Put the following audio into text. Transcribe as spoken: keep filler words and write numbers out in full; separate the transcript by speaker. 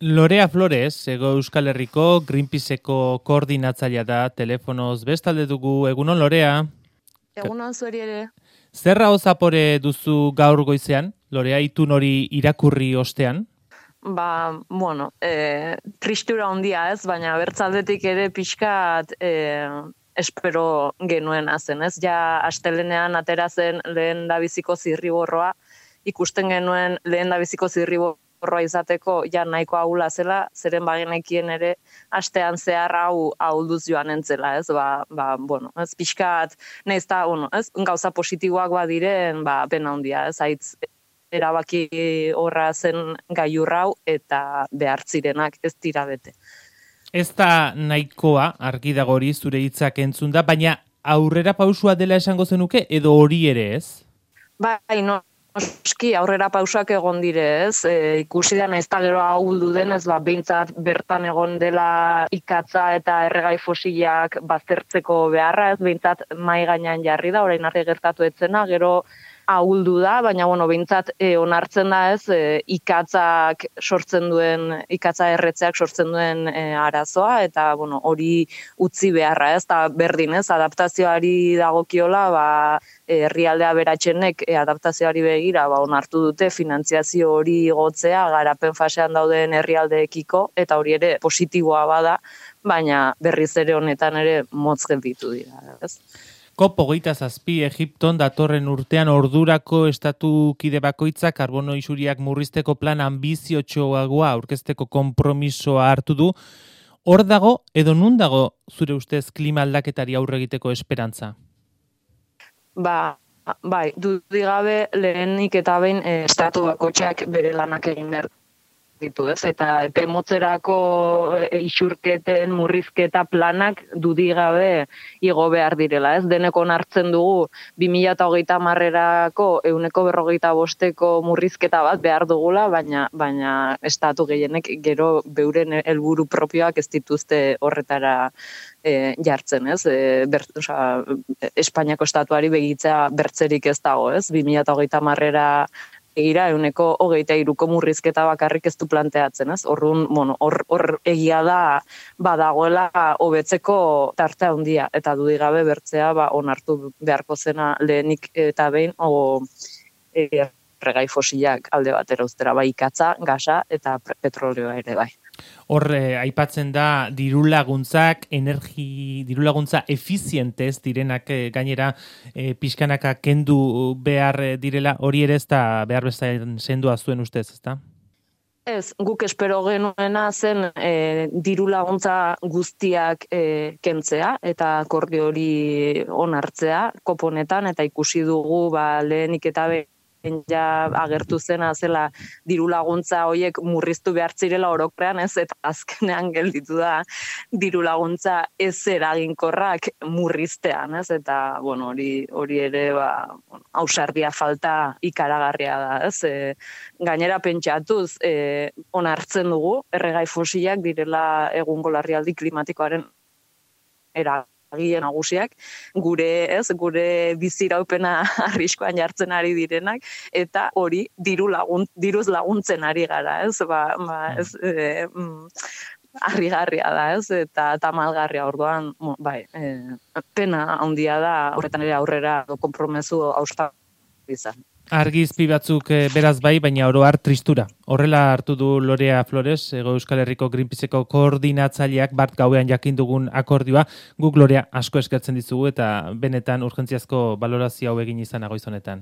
Speaker 1: Lorea Flores, Hego Euskal Herriko Greenpeaceko koordinatzailea da, telefonoz bestalde dugu. Egunon, Lorea?
Speaker 2: Egunon zueri ere.
Speaker 1: Zerra zapore duzu gaur goizean, Lorea, itun hori irakurri ostean?
Speaker 2: Ba, bueno, e, tristura handia ez, baina bertzaldetik ere pixkat e, espero genuen zen, ez? Ja, astelenean atera zen lehen dabiziko zirriborroa, ikusten genuen lehen dabiziko zirriborroa izateko ja nahiko ahula zela, zeren bagenekien ere astean zehar hau ahulduz joan entzela, ez? Ba, ba, bueno, ez pixkat, nahiz eta, bueno, ez? Gauza positiboak badiren, ba, pena handia, ez? Aitz erabaki horra zen gailurrau eta behartzirenak ez dira bete.
Speaker 1: Ez da nahikoa, argi dago hori zure hitzak entzun da, baina aurrera pausua dela esango zenuke edo hori ere ez?
Speaker 2: Bai, no. Oski, aurrera pausak egon dire, ez? E, ikusi da naiz ta gero ahuldu denez, ba, behintzat bertan egon dela ikatza eta erregai fosilak baztertzeko beharra, ez? Behintzat mai gainean jarri da, orain arte gertatu etzena, gero ahuldu da, baina bueno, behintzat e, onartzen da, ez? E, ikatzak sortzen duen, ikatza erretzeak sortzen duen e, arazoa, eta bueno, hori utzi beharra, ez? Ta berdin, ez? Adaptazioari dagokiola, ba, herrialdea beratxenek e, adaptazioari begira ba, onartu dute finantziazio hori igotzea garapen fasean dauden herrialdeekiko, eta hori ere positiboa bada, baina berriz ere honetan ere motz gelditu dira, ez?
Speaker 1: COP hogeita zazpi Egipton datorren urtean ordurako estatu kide bakoitzak karbono isuriak murrizteko plan anbiziotxoagoa aurkezteko konpromisoa hartu du. Hor dago edo nun dago zure ustez klima aldaketari aurre egiteko esperantza?
Speaker 2: Ba, bai, dudik gabe lehenik eta behin e, estatu bakoitzak bere lanak egin behar ditu, ez? Eta epe motzerako e, isurketen murrizketa planak dudik gabe igo behar direla, ez? Deneko onartzen dugu bi mila hogeita hamarerako ehuneko berrogeita bosteko murrizketa bat behar dugula, baina baina estatu gehienek gero beuren helburu propioak ez dituzte horretara E, jartzen, ez? E, ber, oza, Espainiako estatuari begitzea bertzerik ez dago, ez? bi mila hogeita hamarera egira, ehuneko hogeita hiruko murrizketa bakarrik ez du planteatzen, ez? Orrun, bueno, hor, hor egia da badagoela hobetzeko tarte handia, eta dudik gabe bertzea ba, onartu beharko zena lehenik eta behin, o e, erregai fosilak alde batera uztera, bai ikatza, gasa eta petrolioa ere bai.
Speaker 1: Hor, eh, aipatzen da dirulaguntzak, energi, dirulaguntza efizientez direnak eh, gainera eh, pixkanaka kendu behar direla, hori ere ez da behar bezain sendua zuen ustez, ezta?
Speaker 2: Ez, guk espero genuena zen e, dirulaguntza guztiak e, kentzea eta akordio hori onartzea koponetan, eta ikusi dugu ba, lehenik eta behin ja agertu zena zela diru laguntza horiek murriztu behar zirela orokorrean, ez, eta azkenean gelditu da diru laguntza ez eraginkorrak murriztean, ez, eta bueno, hori hori ere ba ausardia falta ikaragarria da, ez? E, gainera pentsatuz e, onartzen dugu erregai fosilak direla egungo larrialdi klimatikoaren era gien nagusiak, gure, ez, gure biziraupena arriskoan jartzen ari direnak, eta hori diru lagun, diruz laguntzen ari gara, ez, ba, ba ez, e, mm, harrigarria da, ez, eta tamalgarria orduan, bai, e, pena handia da, horretan ere aurrera konpromezu hausta izan.
Speaker 1: Argi izpi batzuk e, beraz bai, baina oro har tristura. Horrela hartu du Lorea Flores, Hego Euskal Herriko Greenpeaceko koordinatzaileak bart gauean jakin dugun akordioa. Guk Lorea asko eskertzen dizugu eta benetan urgentziazko balorazio hau egin izan goiz honetan.